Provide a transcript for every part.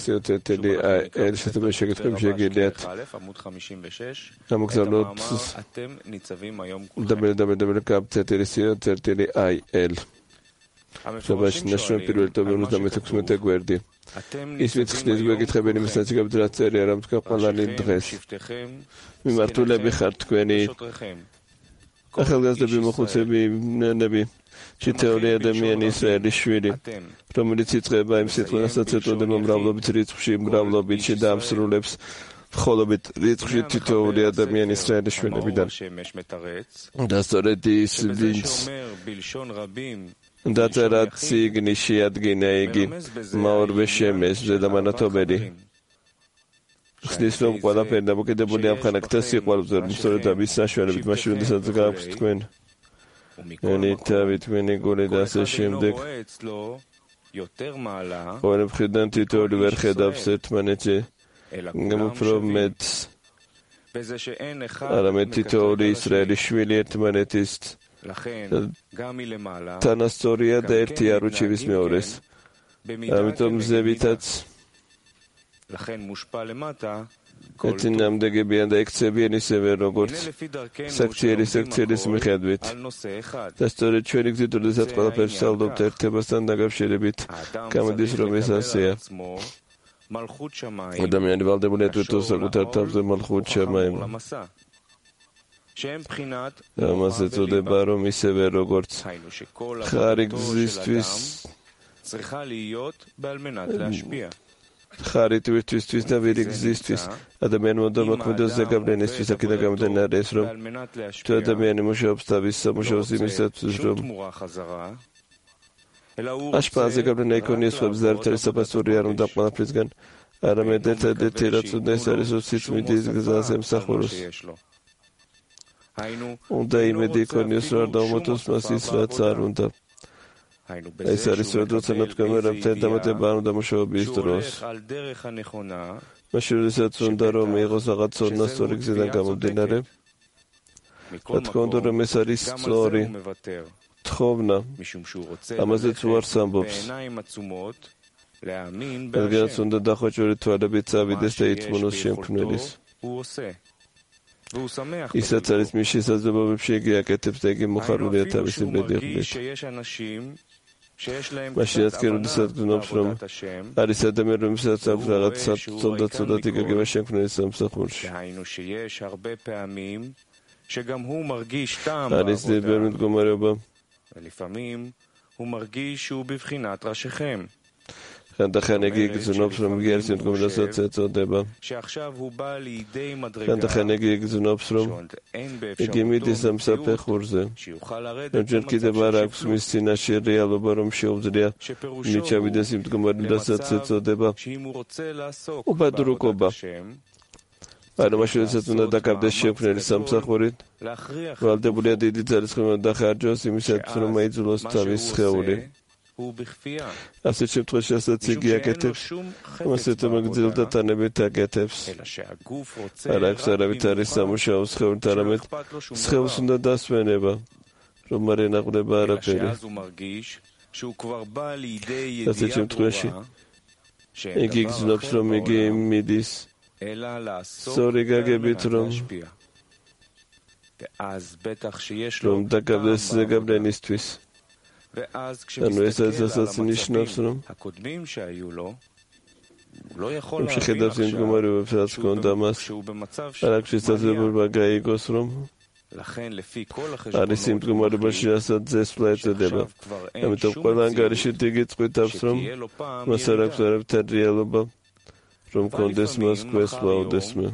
CTL შესაძლებელი შეკითხვები შეგიძლიათ გამოგზავნოთ www.CTL შაბაში ნაშრომი პირველი ოქტომბრის 56 გვერდი ის ვინც ხდის გვეკითხებიან იმის ნაციგებით რაც წერია რა თქვა ყველანი დღეს მიმართულები ხართ თქვენი ახალგაზრდები მოხუცები ნენები ჩითეული ადამიანი ისრაელის შვილი რომელიც იწყება იმ სიტყვასაც ეტყოდება მრავლობით რიცხვში მრავლობით დაამსრულებს მხოლოდ რიცხვში თითოეული ადამიანი ისრაელის შვილებიდან და სწორედ ის ვინც დაწერა ციგნში ადგინა იგი მაორბე შემეს ზედამანათობელი ხსნის რომ ყველაფერი დამოკიდებული ამ ხანაკთა სიყვარულზე რომ სწორედ ამის საშუალებით მაშინ როდესაც გააქვთ თქვენ თქვენი გული და ასე შემდეგ ორი მხრიდან თითოეული ვერ ხედავს ერთმანეთზე უფრო მეტს არამედ თითოეული ისრაელის შვილი ერთმანეთის თანასწორია და ერთი არ უჩივის მეორეს ამიტომ ზევითაც ერთი ნამდვიგებიან და ექცევიან ისევე როგორც საქციელის მიხედვით და სწორედ ჩვენი გზით როდესაც ყველაფერს ვსწავლობთ ერთებასთან დაკავშირებით გამოდის რომ ეს ასეა ადამიანი ვალდებულია თვითონ საკუთარ თავზე მალხუთ შამაიმ ამაზე წოდება რომ ისევე როგორც ხარი გზისთვის ხარი თვითისთვის და ვირი გზისთვის ადამიანი უნდა მოქმედოს ზეგავლენისთვის აქედან გამომდინარე ეს რომ თუ ადამიანი მუშაობს თავის სამუშაოს იმისათვის რომ აშპა ზეგავლენა იქონიოს სხვებს და ერთად საფასური არ უნდა ყველაფრისგან არამედ ერთადერთი რაც უნდა ეს არის სიწმინდის გზას ემსახუროს უნდა იმედი იქონიოს რომ არ დავმოწოს მას ის რაც არ უნდა ეს არის როცა ნათქვამერებთან დამატება არ უნდა მუშაობის დროს მაშინ როდესაც უნდა რომ მიიღოს რაღაც სწორი გზიდან გამომდინარე რა თქმა უნდა რომ ეს არის სწორი თხოვნა ამაზეც უარს ამბობს რადგანაც უნდა დახვეჭური თვალებით წავიდეს და იწმუნოს შემქმნელის ისაც არის მის შესაძლებლობებში იგი აკეთებს და იგი მოხარულია თავისი ბედნიერებით მაშინაც კი როდესაც გრძნობს რომ არის ადამიანი რომელსაც აქვს რაღაც ცოდნა იგეგმება შემქმნელის სამსახურში არის ძებერი მდგომარეობა ხანდახან იგი გრძნობს რომ იგი არის მდგომარეობასაც ეწოდება ხანდახან იგი გრძნობს რომ იგი მიდის ამ საფეხურზე რომ ჯერ კიდევ არ აქვს მის წინაშე რეალობა რომ შეუძლია მიჩავიდეს იმ მდგომარეობასაც ეწოდება უბადრუკობა ანუ მაშინ როდესაც უნდა დაკავდეს შემქმნელის სამსახურით ვალდებულია დიდი ძალისხმევა დახარჯოს იმისათვის რომ აიძულოს თავის სხეული ასეთ შემთხვევაში ასაც იგი აკეთებს ასეთ მოგძილ და თანებით აკეთებს არ აქვს არავითარი სამუშაო სხეულით არამედ სხეულს უნდა დასვენება რომ არ ენაყდება არაფერი ასეთ შემთხვევაში იგი გრძნობს რომ იგი მიდის სწორი გაგებით რომ დაკავდეს ზეგავლენისთვის ანუ ესაც ნიშნავს რომ შეხედავს იმ მდგომარეობებს რაც ჰქონდა მას არ აქვს შესაძლებლობა გაიგოს რომ არის იმ მდგომარეობაში რასაც ზესვლა ეწოდება ამიტომ ყველა ანგარიში იგი წყვიტავს რომ მას არ აქვს არავითარი რეალობა რომ კონდეს მას ქვესვლაოდესმე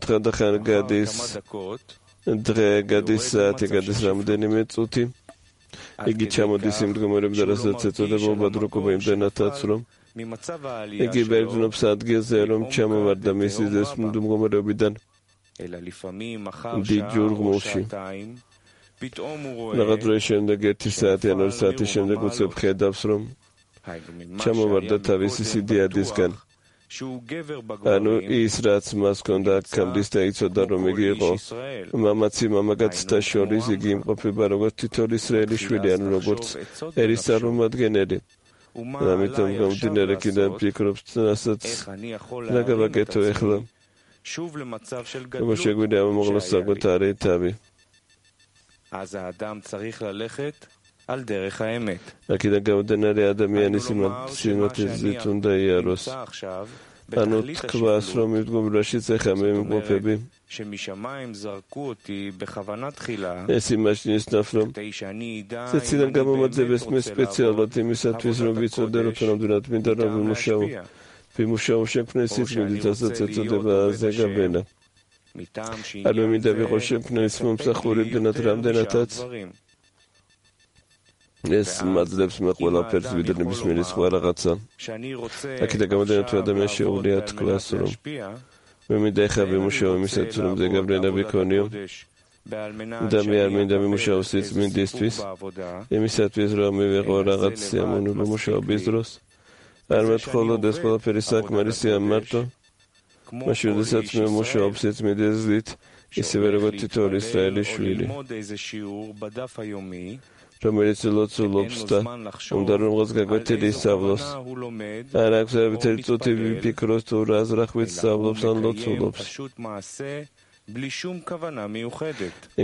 ხანდახან გადის დღე გადის საათი გადის რამდენიმე წუთი იგი ჩამოდის იმ მდგომარეობიდან რასაც ეწოდება უბადრუკობა იმდენადაც რომ იგი ბერძნობს ადგილზე რომ ჩამოვარდა მისი ეს მდგომარეობიდან დიდ ჯურღმულში რაღაც დროის შემდეგ 1 საათი ან 2 საათის შემდეგ უცებ ხედავს რომ ჩამოვარდა თავისი სიდიადისგან ანუ ის რაც მას ჰქონდა აქამდე და იცოდა რომ იგი იყო მამაცი მამაკაცთა შორის იგი იმყოფება როგორც თითოეული ისრაელის შვილი ანუ როგორც ერის წარმომადგენელი ამიტომ გამომდინარე კიდევ ფიქრობს რასაც რა გავაკეთო ახლა როგორც შეგვიძლია მომღლოს საკუთარი თავი აქედან გამომდინარე ადამიანის სიმართლით უნდა იაროს ანუ თქვას რომ მდგომარეობაშიც ეხა მე მყოფები ეს იმაში ისნავს რომ ცეციდან გამომაძებეს მე სპეციალურად იმისათვის რომ ვიცოდე რომ თუნდაც მინდა რომ ვიმუშაო შექმნეს სიწმინდით ასაც ეწოდება ზეგაბენა ანუ მინდა ვიყო შექმნეს მომსახურებდნად რამდენადაც ეს მაძლევს მე ყველაფერს ვიდრე ნებისმიერი სხვა რაღაცა აქედან გამომდინარე თუ ადამიანს შეუძლია თქვას რომ მე მინდა ეხლა ვიმუშაო იმისათვის რომ ზეგაბენა ვიქონიო და მე არ მინდა ვიმუშაო სიწმინდისთვის იმისათვის რომ მივიღო რაღაც სიამოვნებო მუშაობის დროს არ მეტყოლოდ ეს ყველაფერი საკმარისია მარტო მაშინ როდესაც მე მუშაობ სიწმინდით ისევე როგორც თითოეული ისრაელის შვილი რომელიც ლოცულობს და უნდა რომ რაღაც გაგვეთილი ისწავლოს არ აქვს ერთერთი წუთი ვიფიქროს თუ რა ზრახვით სწავლობს ან ლოცულობს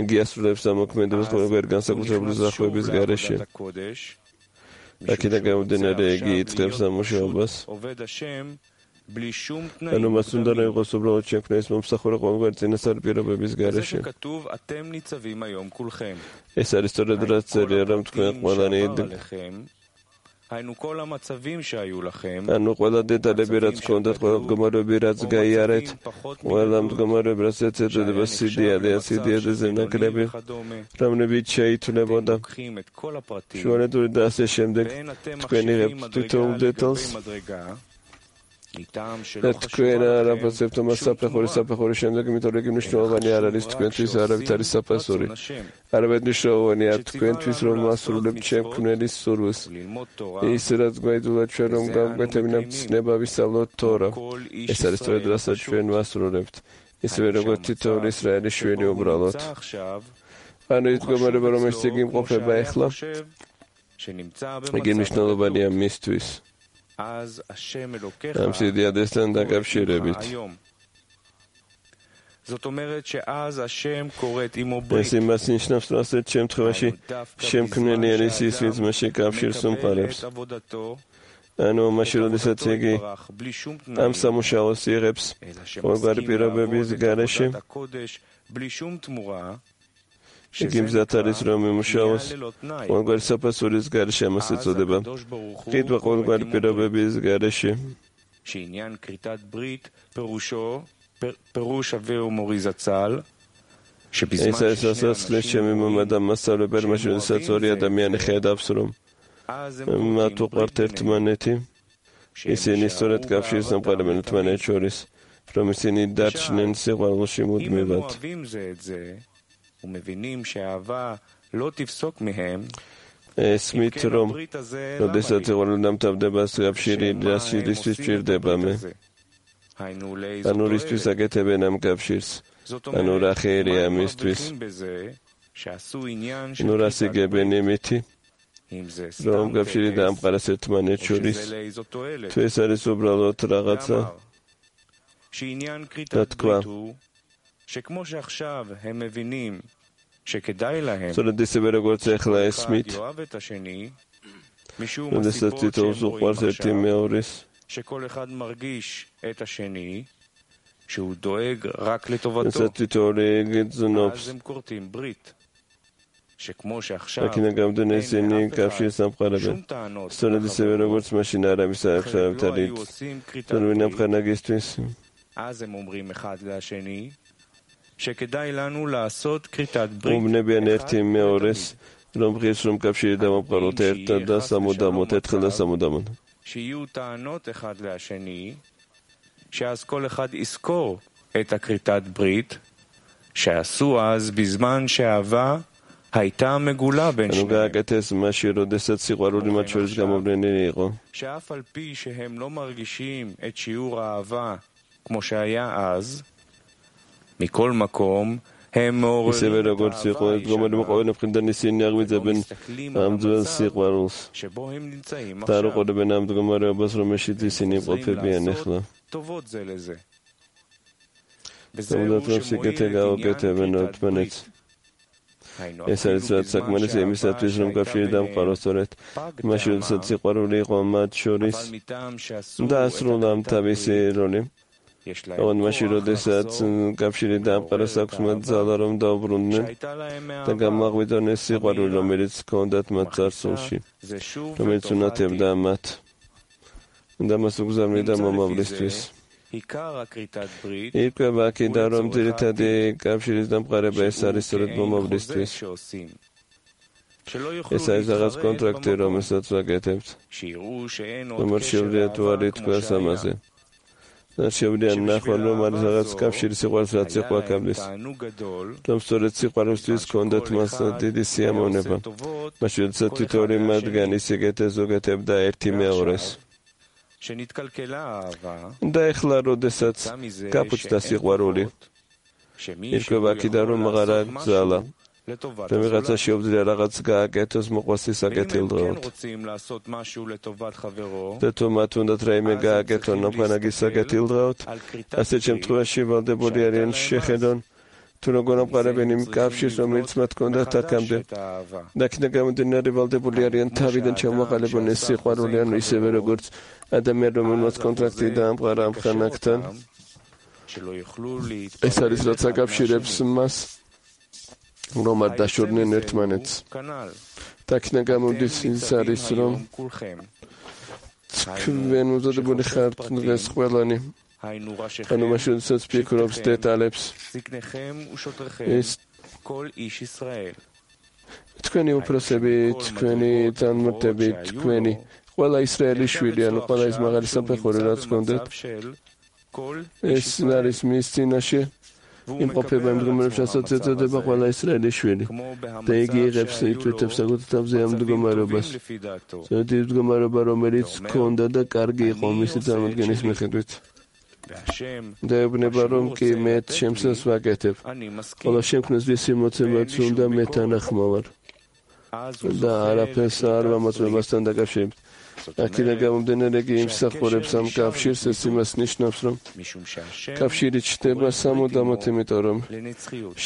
იგი ასრულებს ამოქმედებას ყოველგვარი განსაკუთრებული ზრახვების გარეშე აქედან გამომდინარე იგი იწყებს ამუშავებას ანუ მას უნდა რომ იყოს უბრალოდ შექმნეს მომსახურე ყოველგვარი წინასწარი პირობების გარეშე ეს არის სწორედ რაც წერია რომ თქვენ ყველანი ანუ ყველა დეტალები რაც გქონდათ ყველა მდგომარეობები რაც გაიარეთ ყველა მდგომარეობები რაც ეწოდება სიდიადეზე ნაკლები რომლებიც შეითვლებოდა შუალედური და ასე შემდეგ თქვენ იღებთ თითოეულ დეტალს თქვენ არაფასებთ მას საფეხურის შემდეგ იმიტომ რომ იგი მნიშვნელოვანი არ არის თქვენთვის არავით არის საფასური არამედ მნიშვნელოვანი არ თქვენთვის რომ ასრულებთ შემქმნელის სურვილს ის რაც გვაიძულა ჩვენ რომ გავკვეთებინებთ ცნება ვისწავლოთ თორა ეს არის სწორედ რასაც ჩვენ ვასრულებთ ისევე როგორც თითოეული ისრაელის შვილი უბრალოდ ანუ ის მდგომარეობა რომელიც იგი იმყოფება ახლა იგი მნიშვნელოვანია მისთვის ამ სიდიადესთან დაკავშირებით ეს იმას ნიშნავს რომ ასეთ შემთხვევაში შემქმნელი არის ის ვინც მასში კავშირს უმყარებს ანუ მაშინ როდესაც იგი ამ სამუშაოს იღებს ყოველგვარი პირობების გარეშე იგი მზად არის რომ იმუშაოს ყოველგვარი საფასურის გარეშე ამას ეწოდება ყიდვა ყოველგვარი პირობების გარეშე ეს არის სასაცილოს ჩემი მამა და მასწავლებელი მაშინ როდესაც ორი ადამიანი ხედავს რომ მათ უყვართ ერთმანეთი ისინი სწორედ კავშირს ამყარებენ ერთმანეთს შორის რომ ისინი დარჩნენ სიყვარულში მუდმივად ესმით რომ როდესაც სიყვარული დამთავრდება კავშირი რასისთვის ჭირდება მე ანუ რისთვის აკეთებენ ამ კავშირს ანუ რა ხერია მისთვის ნუ რას იგებენ იმითი რომ კავშირი დაამყარეს ერთმანეთს შორის თუ ეს არის უბრალოდ რაღაცა და თქვა სწორედ ისევე როგორც ახლა ესმით როდესაც თითოეულს უყვარს ერთი მეორის როდესაც თითოეული გრძნობს აქედან გამომდინარე ისინი კავშირს ამყარებენ სწორედ ისევე როგორც მაშინ არავის არ არის თუნდაც ამხანაგისთვის უმნებიან ერთი მეორეს რომ ღირს რომ კავშირი დავამყაროთ ერთად და სამუდამოდ ერთხელ და სამუდამოდ שאז כל אחד יזכור את הכריתת ברית שעשו אז בזמן שהאהבה הייתה מגולה בין שניהם. שאף על פי שהם לא מרגישים את שיעור האהבה כמו שהיה אז, מכל מקום ისევე როგორც იყო დგომარი მოყვავენ მხრიდან ისინი აღვიძებენ ამ ძველ სიყვარულს და არ უყურებენ ამ მდგომარეობას, რომელშიც ისინი იმყოფებიან ახლა. თუმცა რომ სიკეთე გაუკეთებენ ერთმანეთს. ეს არის რაც საკმარისი იმისათვის, რომ კავშირი დამყაროს სწორედ მაშინ, როდესაც სიყვარული იყო მათ შორის და ასრულა თავისი როლი. ოღონდ მაშინ, როდესაც კავშირი დამყაროს, აქვს მათ ძალა, რომ დაუბრუნდნენ და გამაღვიძონ ეს სიყვარული, რომელიც ჰქონდათ მათ წარსულში, რომელიც უნათებდა მათ და მას უგზავნიდა მომავლისთვის. ირკვევა აქედან, რომ ძირითადი კავშირის დამყარება ეს არის სწორედ მომავლისთვის. ეს არის რაღაც კონტრაქტი, რომელსაც ვაკეთებთ. რომ შეუძლიათ თუ არ ითქვას ამაზე. და შეუძლია ნახონ, რომ არის რაღაც კავშირი სიყვარულს, რაც იყო აქამდე. რომ სწორედ სიყვარულისთვის ჰქონდათ მას დიდი სიამოვნება. მაშინ, როდესაც თითოეული მათგანი სიკეთეს უგეთებდა ერთი მეორეს. და ეხლა, როდესაც გაფუჭდა სიყვარული, ირკვევა აქედან, რომ აღარა გძალა. რომ ვიღაცა შეუძლია რაღაც გააკეთოს მოყვასის საკეთილდღეოდ. და თუ მათ უნდათ რაიმე გააკეთონ ნამყანაგის საკეთილდღეოდ, ასეთ შემთხვევაში ვალდებული არიან შეხედონ, თუ როგორ ამყარებენ იმ კავშირს, რომელიც მათ ჰქონდათ აქამდე. და აქედან გამომდინარე ვალდებული არიან თავიდან ჩამოაყალიბონ ეს სიყვარული, ანუ ისევე როგორც ადამიანი, რომელმაც კონტრაქტი დაამყარა ამ ხანაკთან. ეს არის რაც აკავშირებს მას, რომ არ დაშორდნენ ერთმანეთს. და აქედან გამომდის ის არის, რომ თქვენ უზადებული ხართ დღეს ყველანი. ანუ მაშინ, როდესაც ფიქრობს დეტალებს, ეს თქვენი უფროსები, თქვენი თანმორდები, თქვენი ყველა ისრაელის შვილი, ანუ ყველა ის მაღალი საფეხური, რაც გქონდათ, ეს არის მის წინაშე იმყოფება იმ მდგომარეობაში, რასაც ეწოდება ყველა ისრაელის შვილი. და იგი იღებს ითვეთებს საკუთარ თავზე ამ მდგომარეობას. სწორედ ის მდგომარეობა, რომელიც ჰქონდა და კარგი იყო მისი წარმოდგენის მიხედვით. და ეუბნება, რომ კი მე შემსას ვაკეთებ, ხოლო შემქმნეს ვისი მოცემაც უნდა მე თანახმოვარ და არაფერს არ ვამოწმებასთან დაკავშირებით. აქედან გამომდინარე, იგი იმსახურებს ამ კავშირს, ეს იმას ნიშნავს, რომ კავშირი ჩნდება სამუდამოდ, იმიტომ რომ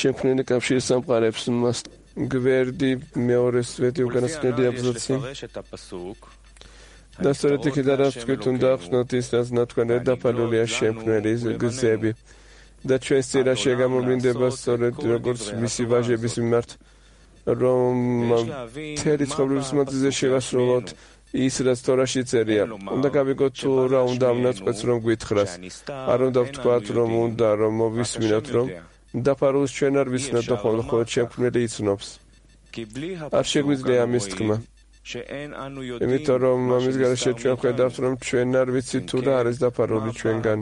შემქმნელი კავშირი სამყარებს მას გვერდი მეორეს ვეთი უკანასკნელი აბზაცი. და სწორედ იქიდან რაც თქვით, უნდა ახსნათ ის, რაც ნათქვამად დაფარულია შემქმნელი გზები. და ჩვენს წინაშე გამოვლინდება სწორედ როგორც მისი ვაჟების მიმართ, რომ მთელი ცხოვრების მანძილზე შევასრულოთ ის, რაც თორაში წერია. უნდა გავიგოთ თუ რა უნდა ამნაწყვეტს, რომ გვითხრას. არ უნდა ვთქვათ, რომ უნდა რომ მოვისმინოთ, რომ დაფარულს ჩვენ არ ვიცნობთ და ხოლმე შემქმნელი იცნობს. არ შეგვიძლია ამის თქმა. იმიტომ რომ ამის გარეშე ჩვენ ხედავთ, რომ ჩვენ არ ვიცით თუ რა არის დაფარული ჩვენგან.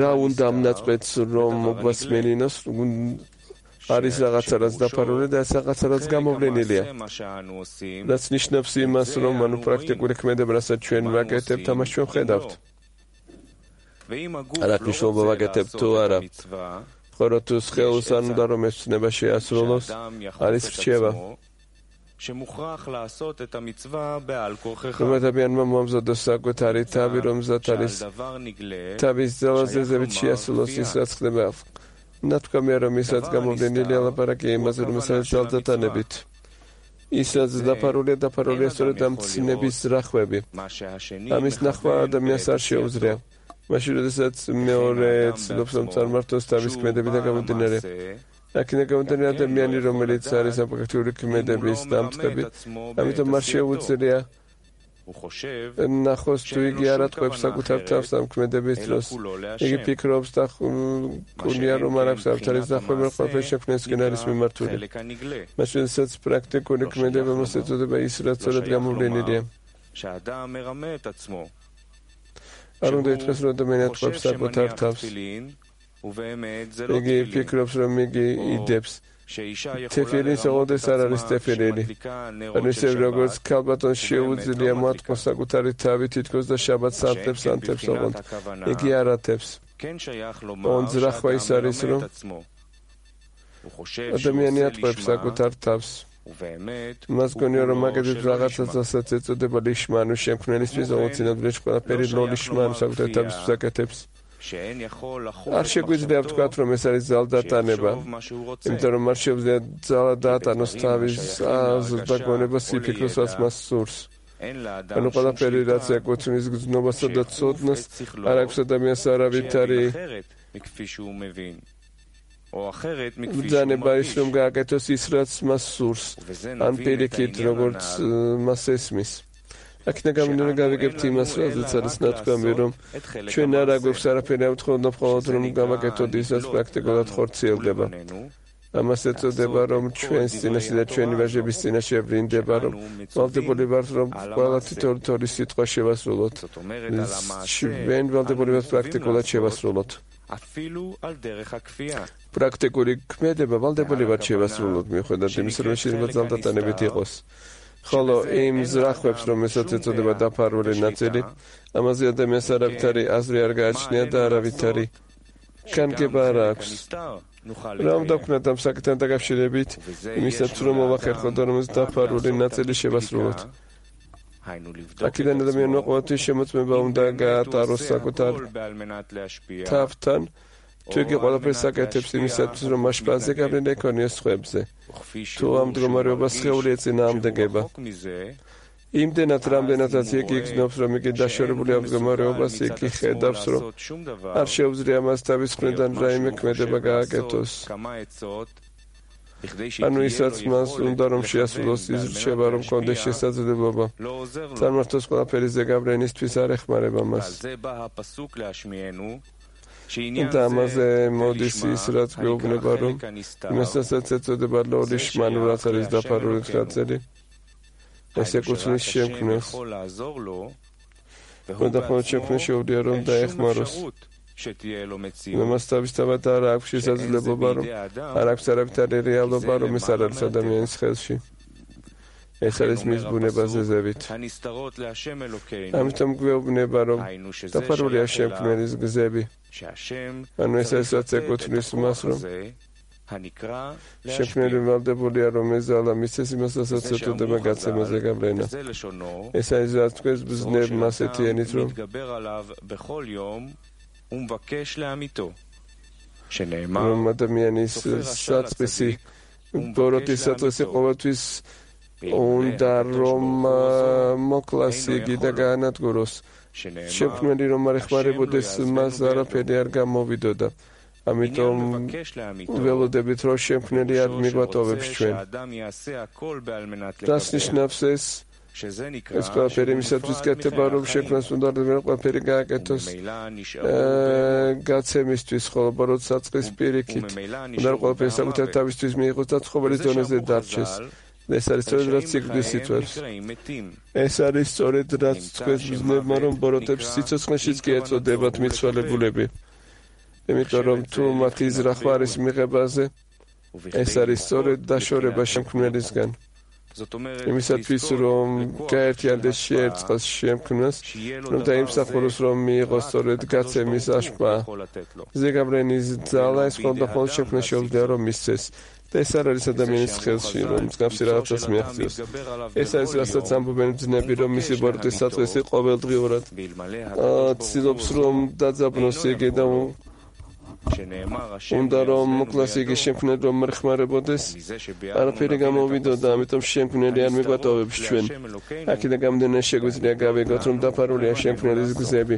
რა უნდა ამნაწყვეტს, რომ მოგვასმენინოს, არის რაღაცა, რაც დაფარული და ეს რაღაცა, რაც გამოვლენილია. რაც ნიშნავს იმას, რომ ანუ პრაქტიკული ქმედება, რასაც ჩვენ ვაკეთებთ, ამას ჩვენ ხედავთ. რა მნიშვნელობა ვაკეთებთ თუ არა. ხოლო თუ სხეულს არ უნდა რომ ეს ცნება შეასრულოს, არის რჩევა. რომ ადამიანმა მოამზადოს საკუთარი თავი, რომელზეც არის თავის ძალაზრდებით შეასრულოს ის, რაც ხდება. ნათქვამია, რომ ისაც გამოვლენილი ალაპარაკი იმაზე, რომ ეს არის ძალზადანებით. ის, რაც დაფარულია სწორედ ამ ცნების ზრახვები. ამის ნახვა ადამიანს არ შეუძლია. მაშინ, როდესაც მეორე ცდილობს, რომ წარმართოს თავის ქმედებიდან გამომდინარე. აქედან გამომდინარე, ადამიანი, რომელიც არის ამ პრაქტიკული ქმედების დამწყები, ამიტომ არ შეუძლია ნახოს თუ იგი არ ატყვევს საკუთარ თავს ამ ქმედების დროს. იგი ფიქრობს და კუნია, რომ არ აქვს არც არის დახვევა, ყველაფერი შექმნისკენ არის მიმართული. მაშინ, როდესაც პრაქტიკული ქმედება მას ეწოდება ის, რაც სწორედ გამოვლენილია. არ უნდა ითქვას, რომ ადამიანი ატყვევს საკუთარ თავს. იგი ფიქრობს, რომ იგი იდებს თეფილის ოღონდ არ არის თეფილი. ანუ ისე როგორც ქალბატონს შეუძლია მოატყოს საკუთარი თავი თითქოს და შაბათს ანთებს ოღონდ. იგი არ ათებს. ძრახვა ის არის, რომ ადამიანი ატყუებს საკუთარ თავს. მას გონია რომ მაგალითად რაღაცას ასაც ეწოდება ლიშმა, ანუ შემქმნელისთვის ოღონდ ყველაფერი ლიშმა, ანუ საკუთარ თავისთვის აკეთებს. არ შეგვიძლია ვთქვათ, რომ ეს არის ძალდატანება, იმიტომ რომ არ შეუძლია ძალა დაატანოს თავის და გონებას იფიქროს, რაც მას სურს. ანუ ყველაფერი რაც ეკუთვნის გრძნობასა და ცოდნას, არ აქვს ადამიანს არავითარი ბრძანება ის რომ გააკეთოს ის რაც მას სურს, ან პირიქით როგორც მას ესმის. აქედან გამომდინარე გავიგებთ იმას, რაზეც არის ნათქვამი, რომ ჩვენ არ აგვაქვს არაფერი მხოლოდ რომ გავაკეთოთ ის, რაც პრაქტიკულად ხორციელდება. ამას ეწოდება, რომ ჩვენს წინაშე და ჩვენი ვაჟების წინაშე ვრინდება, რომ ვალდებული ვართ, რომ ყველა თითოეული სიტყვა შევასრულოთ. ჩვენ ვალდებული ვართ პრაქტიკულად შევასრულოთ. პრაქტიკული ქმედება ვალდებული ვართ შევასრულოთ, მიუხედავად იმისა, რომ შეიძლება ძალდატანებით იყოს. ხოლო იმ ზრახვებს, რომელსაც ეწოდება დაფარული ნაწილი, ამაზე ადამიანს არავითარი აზრი არ გააჩნია და არავითარი განგება არ აქვს. რა უნდა ვქნათ ამ საკითხთან დაკავშირებით, იმისაც რომ მოვახერხოთ, რომ ეს დაფარული ნაწილი შევასრულოთ. აქედან ადამიანმა ყოველთვის შემოწმება უნდა გაატაროს საკუთარ თავთან, თუ იგი ყველაფერს აკეთებს იმისათვის, რომ მასშტაბზე გავლენა ექონიოს სხვებზე. თუ ამ მდგომარეობას სხეული ეწინააღმდეგება. იმდენად, რამდენადაც იგი იგრძნობს, რომ იგი დაშორებული ამ მდგომარეობას, იგი ხედავს, რომ არ შეუძლია მას თავის მხრიდან რაიმე ქმედება გააკეთოს. ანუ ისაც მას უნდა რომ შეასრულოს ის რჩება, რომ კონდეს შესაძლებლობა. წარმართოს ყველაფერი ზეგავლენისთვის არ ეხმარება მას. და ამაზე მოდის ის, რაც გვეუბნება, რომ იმასაც ეწოდება ლიშმა, ანუ რაც არის დაფარული ნაწილი, ეს ეკუთვნის შემქმნელს. და ხოლმე შემქმნელს შეუძლია რომ დაეხმაროს. მას თავისთავად არ აქვს შესაძლებლობა, რომ არ აქვს არავითარი რეალობა, რომ ეს არ არის ადამიანის ხელში. ეს არის მის ბუნებაზე ზევით. ამიტომ გვეუბნება, რომ დაფარულია შემქმნელის გზები. ანუ ეს ასაც ეკუთვნის მას, რომ შემქმნელი ვალდებულია, რომ ეზალა მისცეს იმას, რასაც ეწოდება გაცემაზე გავლენა. ეს არის რაც თქვენს ბრძნებმა ასეთი ენით, რომ რომ ადამიანის საწყისი ბოროტის საწყისი ყოველთვის უნდა რომ მოკლას იგი და გაანადგუროს. შემქმნელი რომ არ ეხმარებოდეს მას არაფერი არ გამოვიდოდა. ამიტომ ველოდებით რომ შემქმნელი არ მიგვატოვებს ჩვენ. რას ნიშნავს ეს? ეს ყველაფერი იმისათვის კეთება, რომ შექმნას უნდა ყველაფერი გააკეთოს გაცემისთვის, ხოლო ბოროტ საწყის პირიქით უნდა ყველაფერი საკუთარ თავისთვის მიიღოს და ცხოველის დონეზე დარჩეს. ეს არის სწორედ რაც სიკვდილს იწვევს. ეს არის სწორედ რაც თქვენს ბრძნებმა, რომ ბოროტებს სიცოცხლეშიც კი ეწოდებათ მიცვალებულები. იმიტომ რომ თუ მათი ზრახვა არის მიღებაზე, ეს არის სწორედ დაშორება შემქმნელისგან. იმისათვის, რომ გაერთიანდეს შეერწყოს შემქმნელს, რომ დაიმსახუროს, რომ მიიღოს სწორედ გაცემის აშპა. ზეგავლენის ძალა ეს ხოლმე შემქმნელს შეუძლია, რომ მისცეს. და ეს არ არის ადამიანის ხელში, რომ მსგავსი რაღაცას მიაღწიოს. ეს არის რასაც ამბობენ ბრძნები, რომ მისი ბოროტის საწყისი ყოველდღიურად ცდილობს, რომ დაძაბნოს იგი და უნდა რომ მოკლას იგი შემქმნელი რომ არ ხმარებოდეს, არაფერი გამოვიდოდა, ამიტომ შემქმნელი არ მიგვატოვებს ჩვენ. აქედან გამომდინარე შეგვიძლია გავიგოთ, რომ დაფარულია შემქმნელის გზები.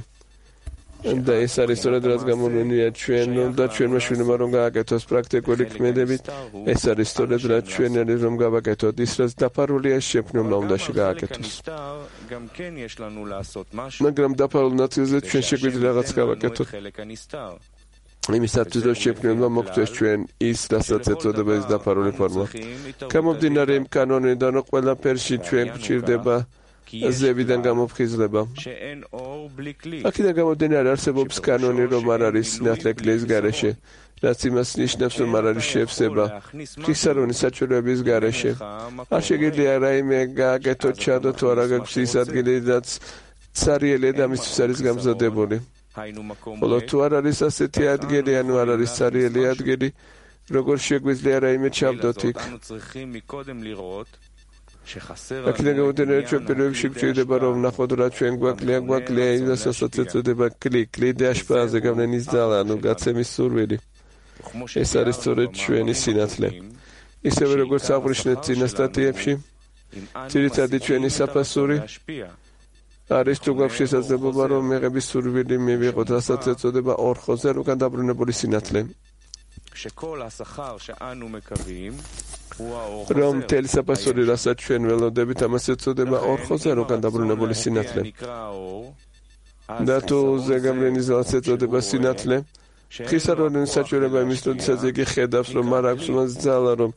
და ეს არის სწორედ რაც გამოვლენია ჩვენ და ჩვენმა შვილებმა რომ გააკეთოს პრაქტიკული ქმედებით. ეს არის სწორედ რაც ჩვენ არის რომ გავაკეთოთ ის, რაც დაფარულია შემქმნელმა უნდა გააკეთოს. მაგრამ დაფარულ ნაწილზე ჩვენ შეგვიძლია რაღაც გავაკეთოთ. იმისათვის რომ შემქმნელმა მოგწეს ჩვენ ის, რასაც ეწოდება ეს დაფარული ფორმა. გამომდინარე იმ კანონიდან, რომ ყველაფერში ჩვენ გვჭირდება ზევიდან გამოფხიზლება. აქედან გამომდინარე არსებობს კანონი, რომ არ არის სინათლე კლის გარეშე. რაც იმას ნიშნავს, რომ არ არის შევსება ღვთისარონის საჩვენების გარეშე. არ შეგიძლია რაიმე გააკეთოთ, ჩადოთ თუ არა გაქვს ის ადგილი, რაც ცარიელი ადამიანისთვის არის გამზადებული. ხოლო თუ არ არის ასეთი ადგილი, ანუ არ არის ცარიელი ადგილი, როგორ შეგვიძლია რაიმე ჩავდოთ იქ? აქედან გამომდინარე, ჩვენ პირველში გვჭირდება რომ ვნახოთ რა ჩვენ გვაკლია ისაც ეწოდება კლიდე აშპარაზე გავლენის ძალა, ანუ გაცემის სურვილი. ეს არის სწორედ ჩვენი სინათლე. ისევე როგორც აღვნიშნეთ წინა სტატიებში, ძირითადი ჩვენი საფასური არის თუ გვაქვს შესაძლებლობა რომ მიღების სურვილი მივიღოთ, რასაც ეწოდება ორხოზე უკან დაბრუნებული სინათლე. რომ მთელი საფასური, რასაც ჩვენ ველოდებით, ამას ეწოდება ორხოზე უკან დაბრუნებული სინათლე. და თუ ზეგავლენის ძალას ეწოდება სინათლე, ღვთისარონის საჩვენება იმის, როდესაც იგი ხედავს, რომ არ აქვს მას ძალა, რომ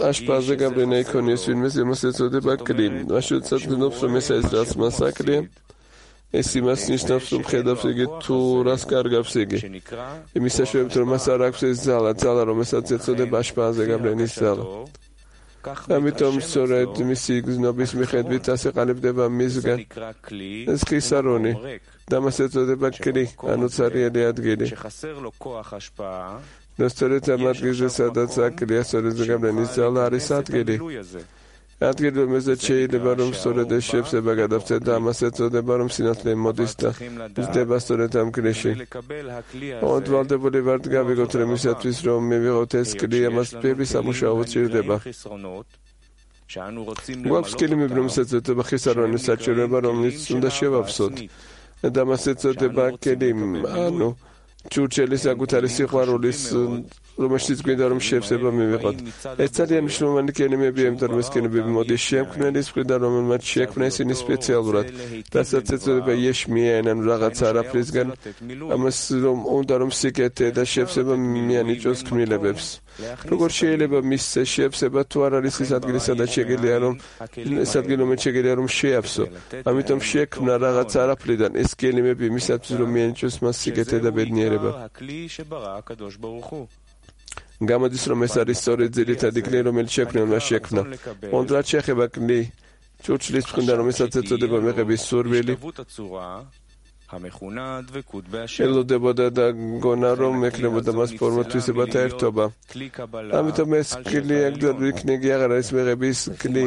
აშპარზე გავლენა იქონიოს ვინმეს, იმას ეწოდება კლი. მაშინ გძნობს, რომ ეს არის რაც მას აკლია. ეს იმას ნიშნავს, რომ ხედავს იგი თუ რას კარგავს იგი. იმის საშუალებით, რომ მას არ აქვს ეს ძალა, რომელსაც ეწოდება აშპარზე გავლენის ძალა. ამიტომ სწორედ მისი გზნობის მიხედვით ასე ყალიბდება მისგან ეს ღვთისარონი და მას ეწოდება კლი, ანუ ცარიელი ადგილი. და სწორედ ამ ადგილზე, სადაც აკლია სწორედ გავლენის ძალა არის ადგილი. ადგილი, რომელზეც შეიძლება რომ სწორედ ეს შევსება გადავწეთ და ამას ეწოდება რომ სინათლე მოდის და მზდება სწორედ ამ კლში. ოდვალდებული ვართ გავიგოთ რომ ისათვის რომ მივიღოთ ეს კლი, ამას ბევრი სამუშაო ჭირდება. გვაქვს კლიმები, რომელსაც ეწოდება ღვთისარონის საჩვენება, რომელიც უნდა შევავსოთ. და ამას ეწოდება კლი, ანუ ჭურჭელის საკუთარი სიყვარულის, რომელშიც გვინდა რომ შევსება მივიღოთ. ეს ძალიან მნიშვნელოვანი კენიმებია, იმიტომ რომ ეს კენიმები მოდის შემქმნელის მხრიდან, რომელმაც შექმნა ისინი სპეციალურად, რასაც ეწოდება იეშმიან, ანუ რაღაც არაფრისგან, ამას რომ უნდა რომ სიკეთე და შევსება მიანიჭოს ქმნილებებს. როგორ შეიძლება მისცე შევსება თუ არ არის ის ადგილი, სადაც შეგიძლია რომ ეს ადგილი, რომელიც შეგიძლია რომ შეავსო. ამიტომ შექმნა რაღაც არაფრიდან ეს კენიმები იმისათვის, რომ მიანიჭოს მას სიკეთე და ბედნიერება. გამოდის რომ ეს არის სწორედ ძირითადი კლი, რომელიც შექმნელმა შექმნა. კონტრად შეეხება კლი ჭურჭლის მხრიდან, რომელსაც ეწოდება მიღების სურვილი. ელოდებოდა და გონა რომ ექნებოდა მას ფორმა თვისებათა ერთობა. ამიტომ ეს კლი აგდად იქნეგი აღარ არის მიღების კლი.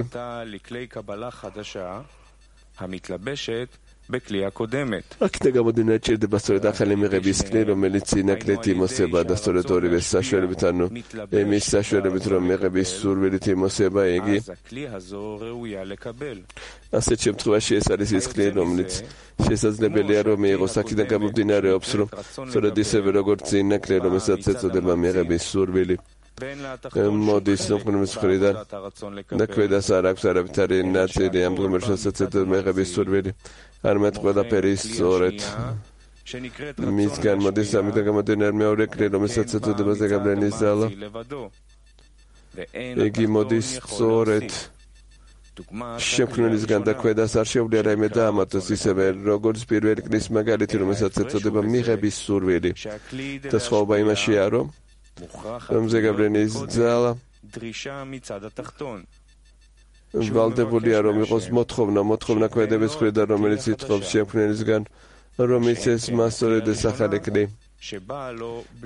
აქედან გამომდინარე, ჭირდება სწორედ ახალი მიღების კლი, რომელიც წინა კლით იმოსება და სწორედ ორივე საშუალებით, ანუ იმის საშუალებით, რომ მიღების სურვილით იმოსება იგი. ასეთ შემთხვევაში ეს არის ის კლი, რომელიც შესაძლებელია რომ მიიღოს. აქედან გამომდინარეობს, რომ სწორედ ისევე როგორც წინა კლი, რომელსაც ეწოდება მიღების სურვილი, მოდის ნოყნების მხრიდან და ქვედას არ აქვს არავითარი ნაწილი ამ ღმერთსაც ეწოდება მიღების სურვილი. არამედ ყველაფერი სწორედ მისგან მოდის. ამიტომ გამომდინარე მეორე კლი, რომელსაც ეწოდება ზეგავლენის ძალა, იგი მოდის სწორედ შექმნელისგან და ქვედას არ შეუძლია რაიმე დაამატოს, ისევე როგორც პირველი კლის მაგალითი, რომელსაც ეწოდება მიღების სურვილი. და სხვაობა იმაშია, რომ ზეგავლენის ძალა ვალდებულია რომ იყოს მოთხოვნა ქვედების მხრიდან, რომელიც ითხოვს შექმნელისგან, რომ იცეს მას სწორედ ეს ახალი კლი.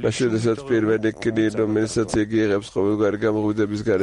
მაშინ როდესაც პირველი კლი, რომელსაც იგი იღებს ყოველგვარი გამოღვიძების გარეთ